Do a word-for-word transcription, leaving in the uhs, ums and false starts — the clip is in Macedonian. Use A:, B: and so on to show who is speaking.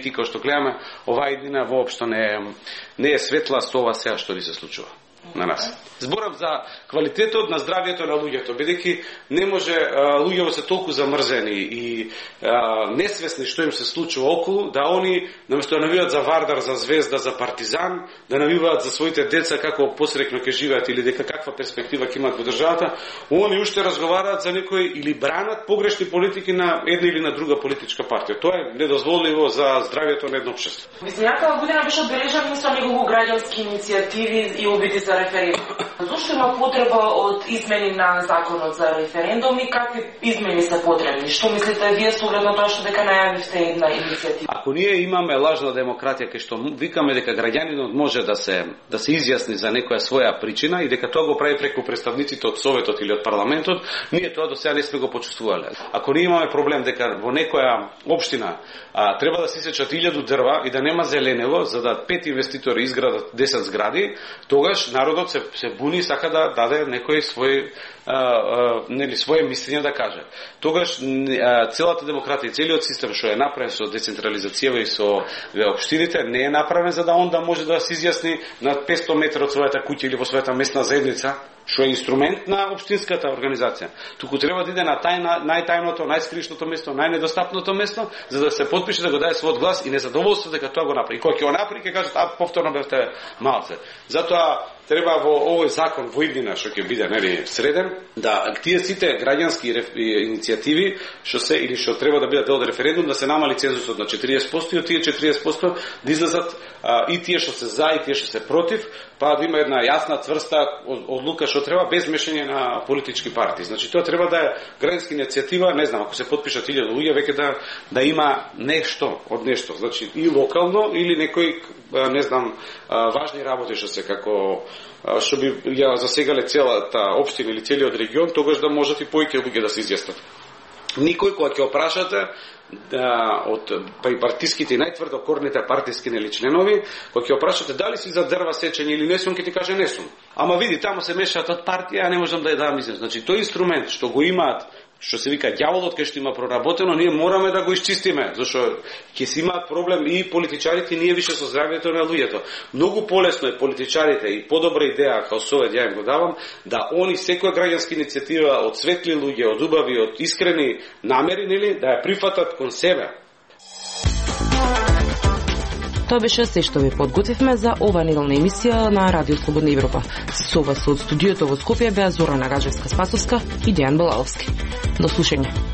A: политика што гледаме, оваа иднина воопшто не е, не е светла со ова сега што ни се случува на нас. Зборам за квалитетот на здравието на луѓето, бидејќи не може а, луѓето се толку замрзени и а, несвесни што им се случува околу, да они наместо да навиваат за Вардар, за Звезда, за Партизан, да навиваат за своите деца како посрекно ќе живеат или дека каква перспектива ќе имаат во државата, они уште разговараат за некои или бранат погрешни политики на една или на друга политичка партија. Тоа е недозволиво за здравието на едно општество.
B: Изминатата година беше одбележан со неколку граѓански иницијативи и обиди за референдум. Зошто има потреба од измени на законот за референдум и какви измени се потребни? Што мислите вие со оглед на тоа што дека најавивте една иницијатива?
A: Ако ние имаме лажна демократија кај што викаме дека граѓанинот може да се да се изјасни за некоја своја причина и дека тоа го прави преку представниците од Советот или од парламентот, ние тоа до сега не сме го почувствувале. Ако ние имаме проблем дека во некоја општина а, треба да се исечат илјаду дрва и да нема зеленело за да пет инвеститори изградат десет згради, тогаш народот се, се буни и сака да даде некој свој а, а, нели своje мислење да каже. Тогаш а, целата демократија и целиот систем што е направен со децентрализација и со општините не е направен за да он да може да се изјасни на петстотини метри од својата куќа или во својата местна заедница, што е инструмент на општинската организација. Туку треба да иде на тајна, најтајното, најскришното место, најнедостапното место, за да се потпише да го даде својот глас и незадоволство дека тоа го направи. И кога ќе го направи, ќе кажат, а повторно бевте малце. Затоа треба во овој закон во иднина што ќе биде нели среден, да тие сите граѓански иницијативи што се или што треба да бидат дел од референдум, да се намали цензусот на четириесет проценти и од тие четириесет проценти да излезат а, и тие што се за и тие што се против, па да има една јасна цврста одлука што треба без мешање на политички партии. Значи тоа треба да е граѓанска иницијатива, не знам, ако се потпишат илјаду луѓе веќе да да има нешто од нешто, значи и локално или некој не знам важни работи што се како што би ја засегале целата општина или целиот регион, тогаш да можат и поиќе луѓе да се изјаснат. Никој кога ќе опрашате да, од па и партиските и најтврдокорните партиски нели членови, кога ќе опрашате дали си за дрва сечење или не сум, ќе ти каже не сум. Ама види, таму се мешаат од партија, а не можам да ја дам изјас. Значи тој инструмент што го имаат, што се вика ѓаволот кај што има проработено, ние мораме да го исчистиме, зашто ќе си имаат проблем и политичарите, и ние више со здравјето на луѓето. Многу полесно е политичарите и подобра идеја како совет ја им го давам, да они секоја граѓанска иницијатива од светли луѓе, од убави, од искрени намери, нели, да ја прифатат кон себе.
C: Тоа беше се што ви подготвивме за ова неделна емисија на Радио Слободна Европа. Со вас од студиото во Скопје беа Зорана Гаджевска-Спасовска и Дејан Балаловски. До слушање.